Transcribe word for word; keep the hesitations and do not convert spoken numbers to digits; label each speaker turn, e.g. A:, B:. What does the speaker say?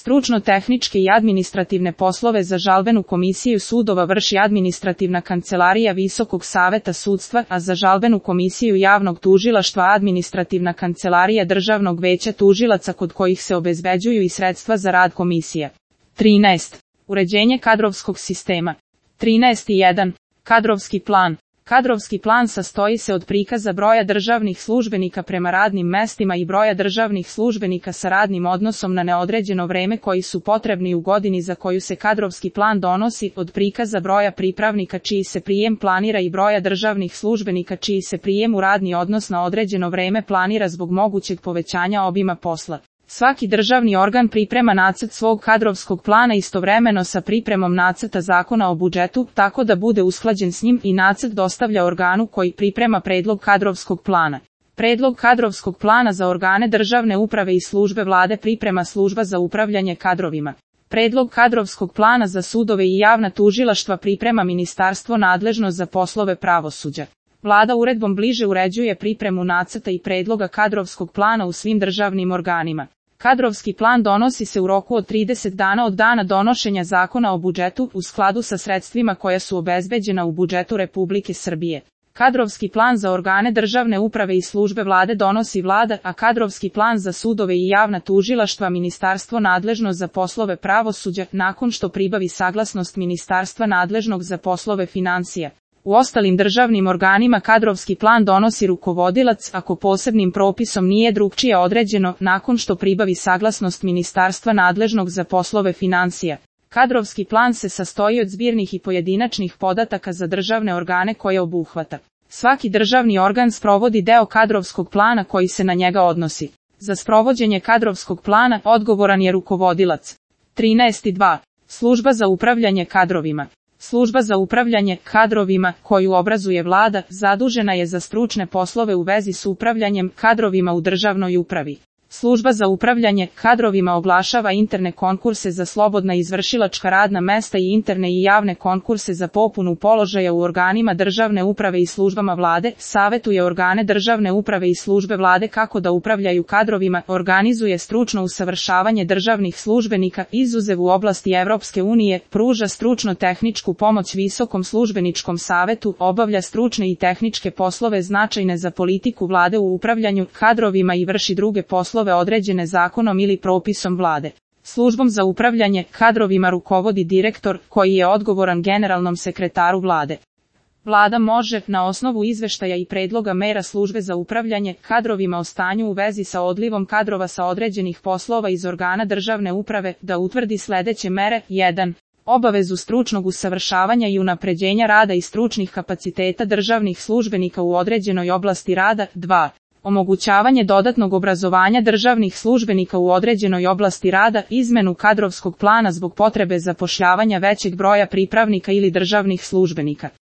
A: Stručno-tehničke i administrativne poslove za žalbenu komisiju sudova vrši administrativna kancelarija Visokog saveta sudstva, a za žalbenu komisiju javnog tužilaštva administrativna kancelarija Državnog veća tužilaca kod kojih se obezbeđuju i sredstva za rad komisija. trinaest. Uređenje kadrovskog sistema. trinaest jedan. Kadrovski plan. Kadrovski plan sastoji se od prikaza broja državnih službenika prema radnim mestima i broja državnih službenika sa radnim odnosom na neodređeno vreme koji su potrebni u godini za koju se kadrovski plan donosi, od prikaza broja pripravnika čiji se prijem planira i broja državnih službenika čiji se prijem u radni odnos na određeno vreme planira zbog mogućeg povećanja obima posla. Svaki državni organ priprema nacrt svog kadrovskog plana istovremeno sa pripremom nacrta zakona o budžetu, tako da bude usklađen s njim, i nacrt dostavlja organu koji priprema predlog kadrovskog plana. Predlog kadrovskog plana za organe državne uprave i službe vlade priprema služba za upravljanje kadrovima. Predlog kadrovskog plana za sudove i javna tužilaštva priprema ministarstvo nadležno za poslove pravosuđa. Vlada uredbom bliže uređuje pripremu nacrta i predloga kadrovskog plana u svim državnim organima. Kadrovski plan donosi se u roku od trideset dana od dana donošenja zakona o budžetu u skladu sa sredstvima koja su obezbeđena u budžetu Republike Srbije. Kadrovski plan za organe državne uprave i službe vlade donosi vlada, a kadrovski plan za sudove i javna tužilaštva ministarstvo nadležno za poslove pravosuđa, nakon što pribavi saglasnost ministarstva nadležnog za poslove finansija. U ostalim državnim organima kadrovski plan donosi rukovodilac, ako posebnim propisom nije drukčije određeno, nakon što pribavi saglasnost ministarstva nadležnog za poslove finansija. Kadrovski plan se sastoji od zbirnih i pojedinačnih podataka za državne organe koje obuhvata. Svaki državni organ sprovodi deo kadrovskog plana koji se na njega odnosi. Za sprovođenje kadrovskog plana odgovoran je rukovodilac. trinaest dva. Služba za upravljanje kadrovima. Služba za upravljanje kadrovima, koju obrazuje vlada, zadužena je za stručne poslove u vezi s upravljanjem kadrovima u državnoj upravi. Služba za upravljanje kadrovima oglašava interne konkurse za slobodna izvršilačka radna mesta i interne i javne konkurse za popunu položaja u organima državne uprave i službama vlade, savetuje organe državne uprave i službe vlade kako da upravljaju kadrovima, organizuje stručno usavršavanje državnih službenika, izuzev u oblasti Evropske unije, pruža stručno-tehničku pomoć Visokom službeničkom savetu, obavlja stručne i tehničke poslove značajne za politiku vlade u upravljanju kadrovima i vrši druge poslove određene zakonom ili propisom vlade. Službom za upravljanje kadrovima rukovodi direktor, koji je odgovoran generalnom sekretaru vlade. Vlada može, na osnovu izveštaja i predloga mera službe za upravljanje kadrovima o stanju u vezi sa odlivom kadrova sa određenih poslova iz organa državne uprave, da utvrdi sledeće mere. jedan. Obavezu stručnog usavršavanja i unapređenja rada i stručnih kapaciteta državnih službenika u određenoj oblasti rada. dva. Omogućavanje dodatnog obrazovanja državnih službenika u određenoj oblasti rada, izmenu kadrovskog plana zbog potrebe zapošljavanja većeg broja pripravnika ili državnih službenika.